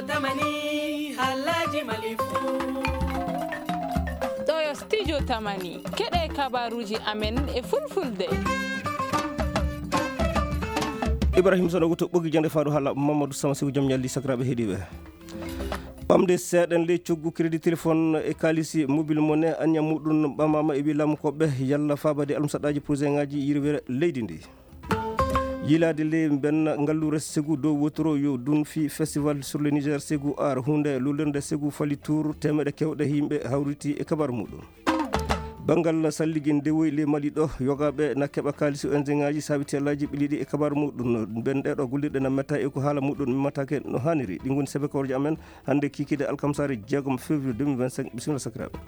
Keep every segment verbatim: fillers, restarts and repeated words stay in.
Tamani, halaji malifu. Ɗo yo studio Tamani. Keɗe kabaruji amen e fulfulde. Ibrahim Sono wuto ɓogi jande faɗo hala Mamadou Sama Siw jom ñalli sakiraɓe heɗiɓe. Ɓamde seeɗen ley coggu crédit téléphone e kaalisi mobile monnaie, anniya muɗum ɓamama e wi laamu koɓe yalla faabade almusaɗaji projet ngaji yirwere leydi ndi. Yilaade ley mbenna ngalluure Ségou dow wotoro yo dun fi festival sur le Niger Ségou Art, hunde lullirde Ségou Fally Tour, teemeɗe kewɗe yimɓe hawriti e kabar muɗum. Banngal salligi ndewoy ley Mali ɗo, yogaaɓe na keɓa kaalisi O N G ngaji saabi tellaji ɓiliɗi e kabar muɗum. Ben ɗeɗo gollirɗe na metta e ko haala muɗum mimmatake no haniri. Ɗi ngoni sebe kawrji amen hannde kikide alkamsare jeegom février deux mille vingt-cinq. Bisimilla sakiraaɓe.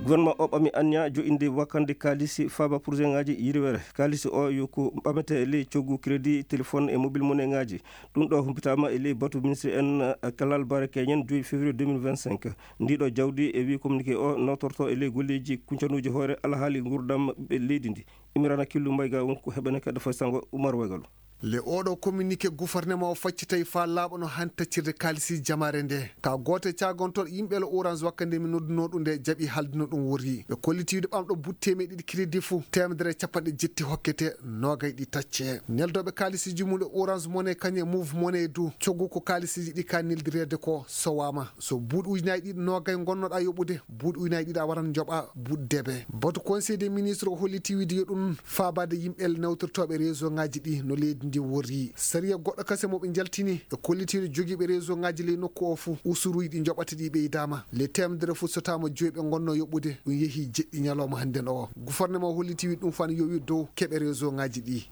Gouvernement o ɓami anniya jo'inde wakkande kaalisi faaba projet ngaji yirwere. Kaalisi o yo ko ɓamete ley coggu crédit téléphone e mobile monnaie ngaji. Ɗum ɗo humpitaama e ley batu ministre en, eh, Kalal Bare Keñen, joyi février deux mille vingt-cinq. Ndiɗo jawdi e wi communiqué o notorto e ley golleji kuncanuji hoore alhaali ngurdam ɓe leydi ndi. Imirana Killu Mbayga won ko heɓene kadi fay sango Umar Waygalu. Le oɗo communiqué gouvernement o faccitay fa laaɓa no han taccirde kaalisi jamaare nde. Ka gooto e caagontoɗo yimɓe le Orange wakkande mi nodduno ɗum nde jaɓi haldino ɗum worri. Ɓe kolliti wiide ɓamɗo butte meɗiɗi crédit fu, teemedere e capanɗe jetti hokkete, noogay ɗi tacce. Neldooɓe kaalisi jumule Orange Money kañe Move Money du, coggu ko kaalisiji ɗi ka neldireede ko sowaama. So buuɗi ujunaaji ɗiɗi noogay ngonnoɗa yoɓude, buuɗi ujunaaji ɗiɗi a waran njoɓa buuɗi debe. Batu Conseil des ministres o holliti wiide yo ɗum faabaade yimɓe nawtirtooɓe réseau ngaji ɗi no leydi ndi worri. Sariya goɗɗo kase mo ɓe njaltini e kollitiiɗo jogiiɓe réseau ngaji ley nokku o fuu, usuruuji ɗi njoɓata ɗi ɓeydaama. Le teemedere fuu sotaama joyi ɓe ngonno yoɓude, ɗum yehi jeɗɗi ñalawma hannden o. Gouvernement o holliti wiide ɗum faan yowi dow keɓe réseau ngaji ɗi.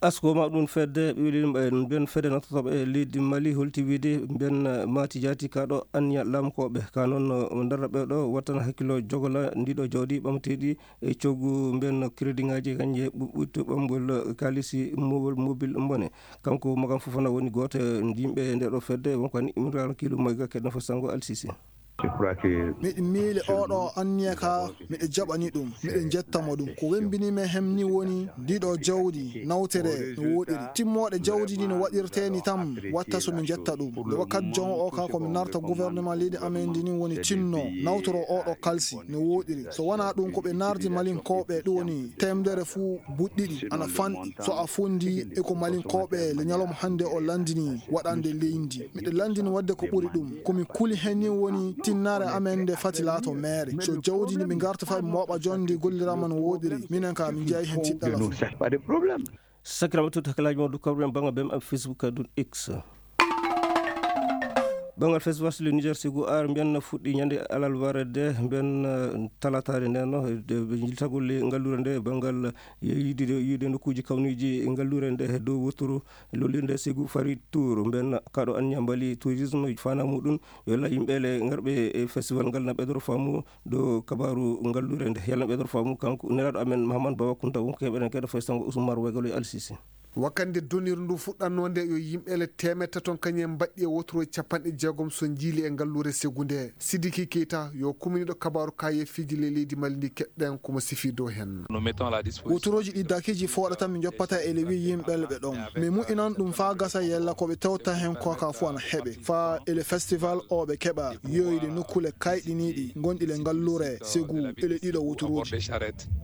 Asko ma ɗum fedde ɓiwɗi mben fedde nototooɓe e leydi Mali holti wiide mben maati jaati ka ɗo anniya laamkooɓe ka noon darra ɓe ɗo wattana hakkilo jogola ndiɗo jawdi ɓamteeɗi e coggu mben crédit ngaji kañje ɓuɓɓitto ɓamgol kaalisi mobile mobile mbone. Kanko Magam Fofana woni gooto e yimɓe nde ɗo fedde, wonko ani Imran Kilu Mayga keɗno fo sango Alsisi. Miɗo miile oɗo anniya ka, miɗo jaɓani ɗum, miɗo jetta mo ɗum. Ko wembini men hem ni woni ndiɗo jawdi nawtere no woɗiri. Timmooɗe jawdi ndi no waɗirtee ni tan watta so mi jetta ɗum. Nde wakkati jon o ka ko mi narta gouvernement leydi amen ndi ni woni tinno nawtoro oɗo kalsi no woɗiri. So wonaa ɗum ko ɓe nardi malinkooɓe ɗum woni teemedere fuu buuɗi ɗiɗi ana fanɗi. So a fondi e ko malinkooɓe le ñalawma hannde o lanndini waɗande leydi, miɗo lanndini waɗde ko ɓuri ɗum. Ko mi kuli heen ni woni tinnaare amen nde fati laato meere. So jawdi ndi ɓe ngarta fay mooɓa jonde golliraama no woɗiri, minen ka min njeyaay heen tiɗɗala. Sakiraaɓe, tut hakkilaaji mon du kawren bannga bem am Facebook ka dun X. Banngal festival sur le Niger Ségou Art mbiyan fuɗɗi ñande alarba de mbiyan, eh, talataare nden no, de, ɓe jiltagol le ngalluure nde banngal yiide, yiide nokkuuji kawniiji ngalluure nde he dow wotoro lollirde Ségou Fally Tour. Mbiyan kaɗo anniya mbali tourisme fana muɗum yo la yimɓe le ngarɓe e festival ngal na ɓeydoro faamu dow kabaru ngalluure nde. Yalla na ɓeydoro faamu kanko nelaaɗo amen Mahamad Baba Kunta wonko heɓeren kadi fay sango Usmar Wegalo e Alsisi. Wakkande donir ndu fuɗɗannoo nde yo yimɓe le teemeɗɗe tati ton kañum en mbaɗɗi e wotoro capanɗe jeegom so njiili e ngalluure Ségou nde. Sidiki Keita yo kuminiiɗo kabaaru kaayeefiiji le leydi Mali ndi keɗɗen ko mo sifi dow heen. Wotorooji ɗi dakiiji fooɗata mi joppata e le wi yimɓe le ɓe ɗon. Mi mu'inan ɗum faa gasa yella ko ɓe tewta heen ko ka fof ana heɓe. Faa e le festival o ɓe keɓa yoyde nokkuule kayɗiniiɗi ngonɗi le ngalluure Ségou e le ɗiɗo wotorooji.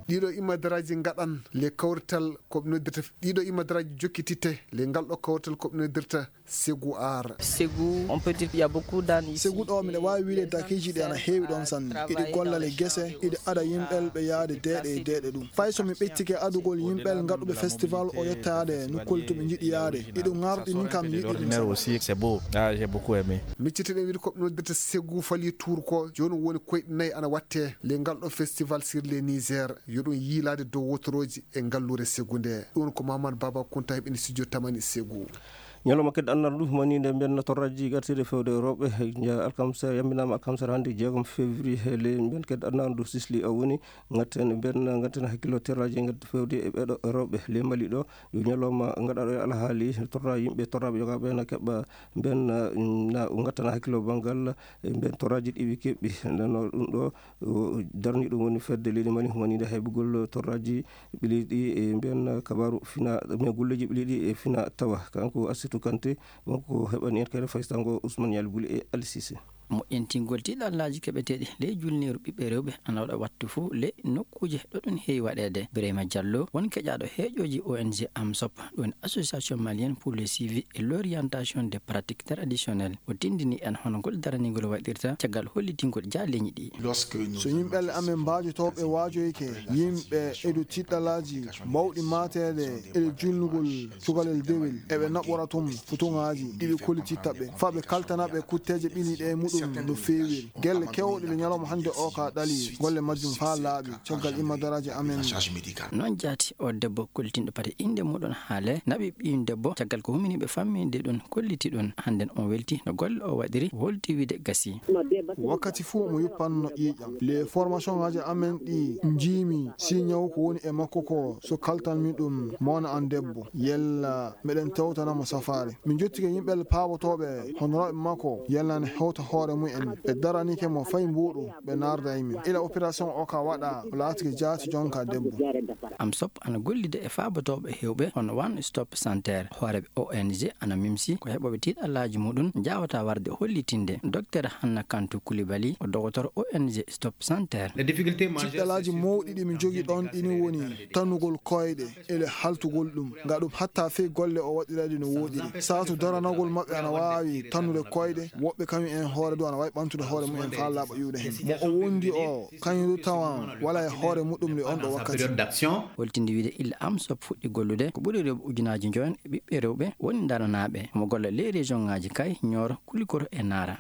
Ɗiɗo imadaraaji ngaɗan le kawrital ko ɓe noddirta, ɗiɗo imadaraaji jokkititte le ngal ɗo kawrital ko ɓe noddirta Ségou Art. Ségou, on peut dire qu'il y a beaucoup d'ânes ici. Ségou ɗo miɗo waawi wiide dakiiji ɗi ana heewi ɗon sanne. Iɗi golla le gese, iɗi ada yimɓe ɓe yaade deeɗe e deeɗe ɗum. Fay so mi ɓeccike adugol yimɓe ngarɗuɓe festival o yettaade nokkuule to ɓe njiɗi yaade. Iɗo ngarɗi ni kam yiɗi ɗum sanne. Aussi, c'est beau. Ah, j'ai beaucoup aimé. Miccitiɗen wiide ko ɓe noddirta Ségou Fally Tour ko jooni woni koyɗe nayi ana watte le ngal ɗo festival sur le Niger. Yo ɗum yiilaade dow wotorooji e ngalluure Ségou nde. Ɗum ko Mamadou Baba Kunta heɓini studio Tamani Ségou. Ñalawma kadi annal ndu humaniinde mbiyen torraji gartiiɗe fewde rewɓe, ja-, alkamsa, yamminaama alkamsa hannde jeegom février, he ley mbiyen kadi annal ndu sisli o woni ngatten mbiyen ngatten hakkillo terraji ngaddi fewde e ɓeɗo rewɓe ley Mali ɗo, yo ñalawma ngaɗaɗo e alhaali torra yimɓe torraɓe yogaaɓe na keɓa mbiyen na ngattana hakkillo banngal e mbiyen torraji ɗiwi keɓɓi. Nden no ɗum ɗo o darni ɗum woni fedde leydi Mali humaniinde heɓugol torraji ɓileeɗi e mbiyen kabaaru fina, mbiyen golleeji ɓileeɗi e fina tawa. Kanko Assitu Sukante, wonko heɓani en kadi faysango Ousmane Yali Buli e Ali Cissé. Moƴƴintingol tiiɗallaaji keɓeteeɗi ley julniiru ɓiɓɓe rewɓe ana waɗa wattu fuu ley nokkuuje ɗo ɗum heewi waɗeede. Birayma Jallo, won keƴaaɗo heeƴooji O N G AMSOP, ɗum woni Association Malienne pour le Suivi et l'Orientation des Pratiques Traditionnelles, o tinndini en hono ngol daranigol waɗirta caggal hollitingol jaaleeñi ɗi. So yimɓe amen mbaajotooɓe waajoyke yimɓe e dow tiiɗallaaji mawɗi maateede e julnugol cukalel dewel, eɓe naɓora tun futuŋaaji ɗi ɓe kollititta ɓe, faa ɓe kaltana ɓe kutteeje ɓiliiɗe e muɗum no feewiri. Gelle keewɗe ɗe ñalawma hannde o ka ɗali golle majjum faa laaɓi caggal immadaraaji amen. Non jaati o debbo kollitinɗo pati innde muɗum haale, naɓi ɓiyum debbo caggal ko humini ɓe famminde ɗum, kolliti ɗum. Hannden on welti no golle o waɗiri, holti wiide gasi. Wakkati fuu omo yuppanno ƴiiƴam. Les formations ŋaaji amen ɗi njiimi si ñaw ko woni e makko ko so kaltanmi ɗum mawna an debbo, yalla meɗen tewtana mo safaare. Min jottike yimɓe paabotooɓe honoraaɓe makko, yalla ne hewta hoore mumen. Ɓe daranike mo fay mbuuɗu, ɓe naarda e min. Ila opération o ka waɗa, o laatike jaati jonka debbo. AMSOP ana gollida e faabotooɓe heewɓe hono One Stop Center. Hooreeɓe O N G ana mimsi ko heɓooɓe tiiɗallaaji muɗum njaawata warde hollitinde. Docteur Hanna Kantu Kulibali, o dogotor O N G Stop Center. Tiiɗallaaji mawɗi ɗi min jogi ɗon ɗini woni tanugol koyɗe e le haltugol ɗum. Nga ɗum hatta fey golle o waɗirade no woɗiri. Saatu daranagol maɓɓe ana waawi tannude koyɗe. Woɓɓe kañum en hoore du ana waawi ɓantude hoore mumen faa laaɓa ƴuwde hen. Mo o wondi o, kañum du tawan wala e hoore muɗum le on ɗo wakkati. Holtinde wiide illa AMSOP fuɗɗi gollude, ko ɓuri rewɓe ujunaaji njoyon e ɓiɓɓe rewɓe woni daranaaɓe. Omo golla ley région ŋaaji Kay, Nioro, Kulikoro e Nara.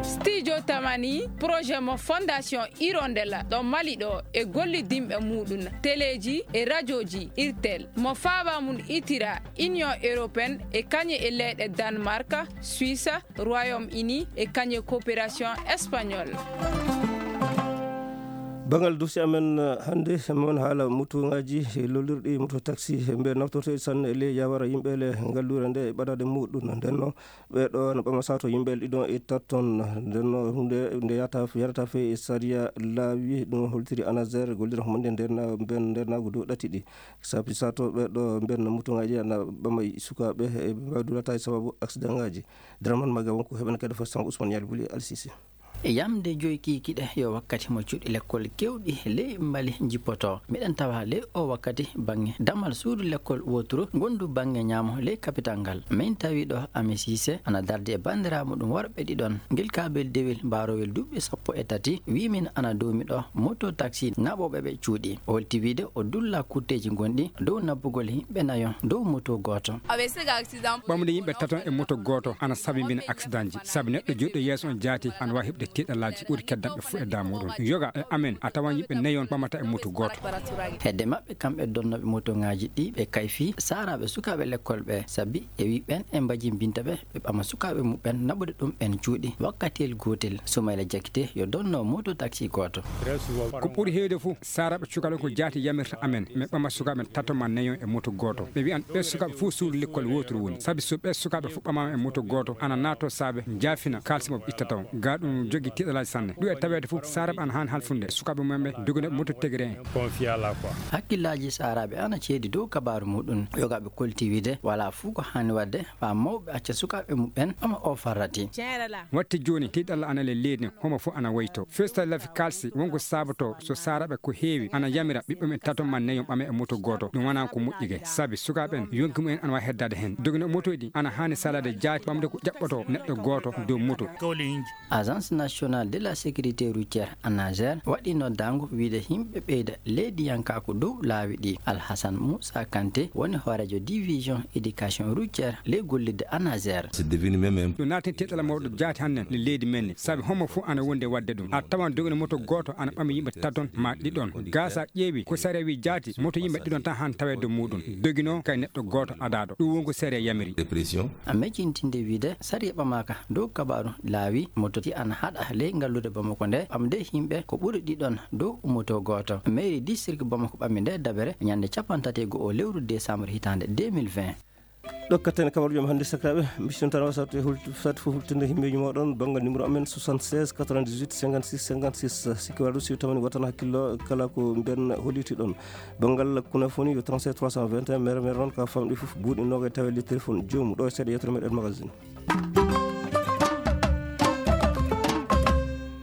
Studio Tamani, projet mo Fondation Hirondelle ɗo Mali ɗo e gollidinɓe muɗum, teleeji e rajooji Irtel, mo faaba mum itira Union Européenne e kañe e leyɗe Danemark, Suisse, Royaume-Uni e kañe coopération espagnole. Banngal dufsi amen, eh, hannde, mon haala motoŋaaji, eh, lollirɗi moto taxi, eh, mbe naftorteeɗi sanne e ley yawara yimɓe le ngalluure nde e ɓadaade muɗum. Nden no ɓe ɗo no ɓama sato yimɓe le ɗiɗon e tatton. Nden no hunde nde yata, yarata fe e sariya laawi, ɗum holtiri ANASER, gollira mo nde nder na-, ben nder naago dow ɗati ɗi. Sabi sato ɓe ɗo mben motoŋaaji ana ɓama sukaaɓe e ɓe mbawi dulata e sababu accident ŋaaji. Draman Maga wonko heɓen kadi fo sango Ousmane Yali Buli Alsisi. E yamde joyi kiikiɗe yo wakkati mo cuuɗi lekkol kewɗi ley Mali jippoto. Miɗen tawa ley o wakkati baŋŋe damal suudu lekkol wooturu ngondu baŋŋe ñaamo ley kapital ngal. Min tawi ɗo Ame Siise ana dardi e banndiraaɓe ɗum worɓe ɗiɗon. Ngel kaabel dewel mbaarowel duuɓi sappo e tati wi min ana doomi ɗo moto taxi naɓooɓe ɓe cuuɗi. O holti wiide o dulla kutteeji gonɗi dow nabbugol yimɓe nayo dow moto gooto. Ɓamde yimɓe taton e moto gooto ana sabibina accident ji, sabi neɗɗo joɗɗo yeeso on jaati ana waawi heɓde tiiɗalaaji ɓuri keddanɓe fof e damuɗum. Yoga e amen a tawan yimɓe nayon ɓamata e moto gooto. Hedde maɓɓe kamɓe donnooɓe moto ŋaaji ɗi ɓe kayfi saaraaɓe sukaaɓe lekkol ɓe, sabi e wi ɓen e mbajimbinta ɓe, ɓe ɓama sukaaɓe muɓɓen naɓude ɗum ɓen cuuɗi wakkatiyel gootel. Soumaila Diakité yo donno moto taxi gooto. Ko ɓuri heewde fof, saaraaɓe cukalon ko jaati yamirta amen, min ɓama sukaaɓe tato ma nayon e moto gooto. Ɓe wiyan ɓe sukaaɓe fof suudu lekkol wooturu woni. Sabi so ɓe sukaaɓe fof ɓamaama e moto gooto, ana naato saabe njaafina kaalisi mo ɓe ittata on. Ga ɗum jogi tiiɗalaaji sanne. Ɗum e taweede fof, saaraaɓe ana haani halfunde sukaaɓe mumen ɓe dogina moto tegere en. Hakkillaaji saaraaɓe ana ceedi dow kabaaru muɗum. Yogaaɓe kolti wiide, wala fof ko haani waɗde faa mawɓe acca sukaaɓe muɓɓen ɓama o farrati. Waɗti jooni, tiiɗalla ana le leydi, homo fof ana wayto. First Life Kalsi, wonko sabato, so saaraaɓe ko heewi, ana yamira ɓiɓɓe men tato ma neyo ɓame e moto gooto. Ɗum wonaa ko moƴƴi ge, sabi sukaaɓe en, yonki mumen ana waawi heddaade heen. Dogino motoji ɗi, ana haani salaade jaati ɓamde ko ƴaɓɓoto neɗɗo gooto dow moto. Agence Nationale de la Sécurité Routière, ANASER, waɗi noddaango wiide yimɓe ɓeyda leydiyankaaku dow laawi ɗi. Alhasan Moussa Kanté woni hooreejo division éducation routière ley gollidde ANASER. Ɗum naati tiiɗalla mawɗo jaati hannden e leydi men ni, sabi homo fof ana wondi e waɗde ɗum. A tawan dogino moto gooto ana ɓami yimɓe taton ma ɗiɗon. Ga sa ƴeewi ko sariya wi jaati, moto yimɓe ɗiɗon tan han taweede muɗum. Dogino kay neɗɗo gooto adaaɗo. Ɗum won ko sariya yamiri. A mejintinde wiide sariya ɓamaaka dow kabaaru laawi, moto ti ana haɗa ley ngallude Bamako nde ɓamde yimɓe ko ɓuri ɗiɗon dow moto gooto. Mairie district Bamako ɓami nde dabere ñande cappanɗe tati e go'o lewru décembre hitaande deux mille vingt. Ɗo katten e kabaruuji men hannde, sakiraaɓe, mbiɗen tan wasatu e hulti-, sati fof hultinde himmeeji mooɗon banngal numéro amen soixante-seize quatre-vingt-dix-huit cinquante-six cinquante-six. Sikki walaa ɗum, si tawani wotana hakkillo kala ko mbiyen holliti ɗon. Banngal kunafoni yo trente-sept trois cent vingt et un, mere mere noon ka famɗi fof buuɗi noogay tawa e ley téléphone joomum. Ɗo e seeɗa yewtere meɗen magazine.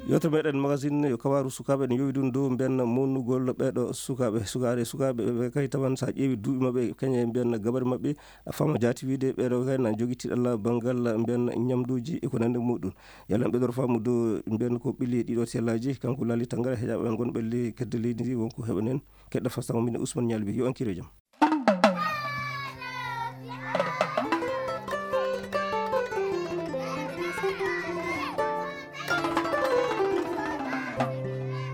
Yewtere meɗen magazine yo kabaaru sukaaɓe, ene yowi ɗum dow mbiyen mawnugol ɓeeɗo sukaaɓe. Sukaade sukaaɓe ɓe kay tawan so a ƴeewi duuɓi maɓɓe, kañe mbiyen gabari maɓɓe, a faama jaati wiide ɓeeɗo kay na jogii tiiɗalla banngal mbiyen ñamduuji e ko nanndi muɗum. Yalla en ɓeydoro faamu dow mbiyen ko ɓilli ɗiɗo tellaaji, kanko Laali Tangara, heɗaaɓe men gonɓe ley kedde leydi ndi, wonko heɓanen. Keɗɗa fastango min Ousmane Ñalbi, yo on kiiro jam.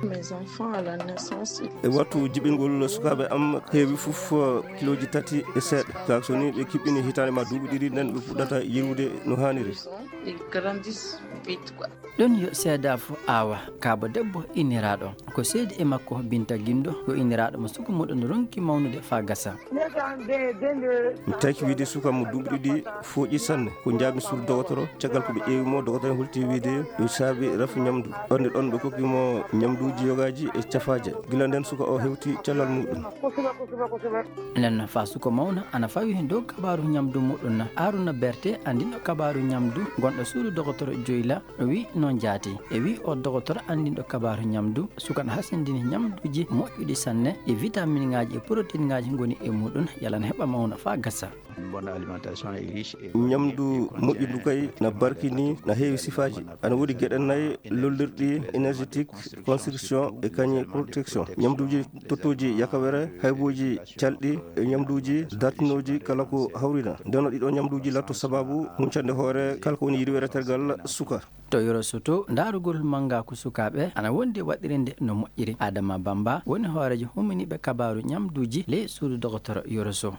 Mes enfants à la naissance. E wattu jibingol sukaaɓe am heewi fof, eh, kilooji tati e seeɗa. Kaa so ni ɓe kiɓɓini hitaande ma duuɓi ɗiɗi, nden ɓe puɗɗata yirwude no haaniri. Ils grandissent vite, quoi. Ɗon yo seedafo aawa kaaba debbo inniraaɗo. Ko seedi e makko Binta Gindo, ko inniraaɗo mo suka muɗum ronki mawnude faa gasa. Mi taki wiide suka mo duuɓi ɗiɗi fooƴi sanne. Ko njaami suudu dogotoro, caggal ko ɓe ƴeewi mo, dogotoro en holti wiide ɗo saabi rafi ñamdu. Ɗon e ɗon ɓe kokki mo ñamduuji yogaaji e cafaaje. Gila nden suka o hewti cellal muɗum. Nden faa suka mawna ana fawi dow kabaaru ñamdu muɗum. Aruna Berte, anndinɗo kabaaru ñamdu, gonɗo suudu dogotoro Joyla, o wi noon jaati. E wi o dogotoro anndinɗo kabaaru ñamdu, suka na hasindini ñamduuji moƴƴuɗi sanne, e vitaminŋaaji e protéinŋaaji ngoni e muɗum, yalla na heɓa mawna faa gasa. Une bonne alimentation est riche et ñamdu moƴƴundu kay na barkini, na heewi sifaaji. Ana woodi geɗe nayi lollirɗi: énergétique, construction e kañum protection. Ñamduuji tottooji yakawere, haybooji calɗi e ñamduuji dartinooji kala ko hawrina. Nden ɗiɗo ñamduuji latto sababu huncande hoore kala ko woni yirwere tergal suka. To Yoro Soto, ndaarugol mannga ko sukaaɓe ana wondi waɗirinde no moƴƴiri. Adama Bamba woni hooreejo huminiiɓe kabaaru ñamduuji ley suudu dogotoro Yoro Soto.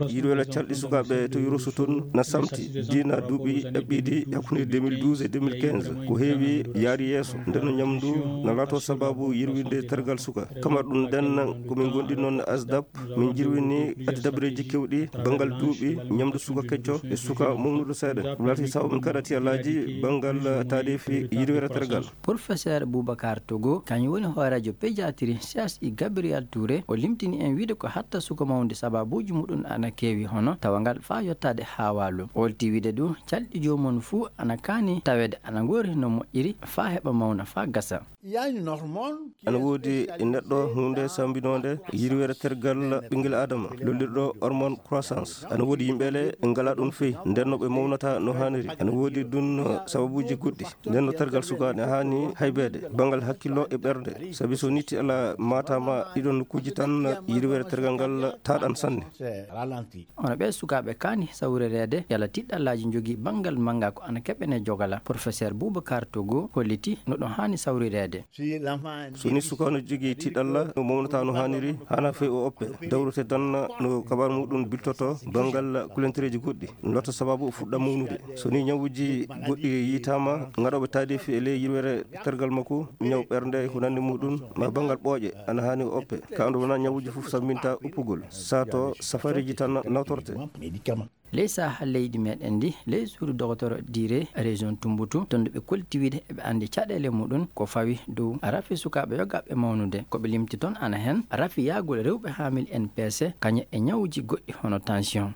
Yirwere calɗi sukaaɓe to Yoro Soto na samti diina duuɓi ɗaɓɓiiɗi hakkunde deux mille douze e deux mille quinze. Ko heewi yaari yeeso, nden no ñamdu na laato sababu yirwinde tergal suka. Kamar ɗum nden ko min gondi noon ASDAP, min jirwini addi dabareeji kewɗi banngal duuɓi ñamdu suka kecco e suka mawnuɗo seeɗa. Ɗum laati sababu min kaɗa tiyalaaji banngal taadeefi yirwere tergal. Professeur Boubacar Togo, kañum woni hooreejo pédiatrie C H I Gabriel Touré, o limtini en wiide ko hatta suka mawnude sababuuji muɗum ana keewi, hono tawangal faa yottaade haa waalo. O holti wiide ɗum, calɗi joomum fuu ana kaani taweede ana ngoori no moƴƴiri faa heɓa mawna faa gasa. Il y a une hormone qui est spécialisée dans... Ana woodi e neɗɗo huunde sambinoonde yirwere tergal ɓinngel Adama, lollirɗo hormone croissance. Ana woodi yimɓe le ngalaa ɗum feyi, nden no ɓe mawnata no haaniri. Ana woodi ɗum sababuuji goɗɗi. Nden no tergal suka ne haani haybeede, banngal hakkillo e ɓernde. Sabi so nitti ala maataama ɗiɗon nokkuuji tan, yirwere tergal ngal taaɗan sanne. C'est ralenti. Hono ɓee sukaaɓe kaani sawrireede, yalla tiiɗallaaji njogii banngal mannga ko ana keɓene jogala. Professeur Boubacar Togo holliti no ɗum haani sawrireede. Si l'enfant... So ni suka no jogii tiiɗalla, no mawnata no haaniri, hana fey o oppe. Dawrete tan no kabaru muɗum biltoto banngal kulentereeji goɗɗi. Ɗum laata sababu o fuɗɗa mawnude. So ni ñawuuji goɗɗi yiitaama, ngaɗooɓe taadeefi e ley yirwere tergal makko, ñaw ɓernde e ko nanndi muɗum, ma banngal ɓooƴe, ana haani o oppe. Ka ando wona ñawuuji fof sambinta uppugol. Sato safareeji tan nawtorte. Ley saha leydi meɗen ndi, ley suudu dogotoro Dire, région Tumbutu, toon ɗo ɓe kolti wiide eɓe anndi caɗeele muɗum ko fawi dow rafi sukaaɓe yogaaɓe mawnude. Ko ɓe limti toon ana heen rafi yaagol rewɓe haamil N P C, kañum e ñawuuji goɗɗi hono tension.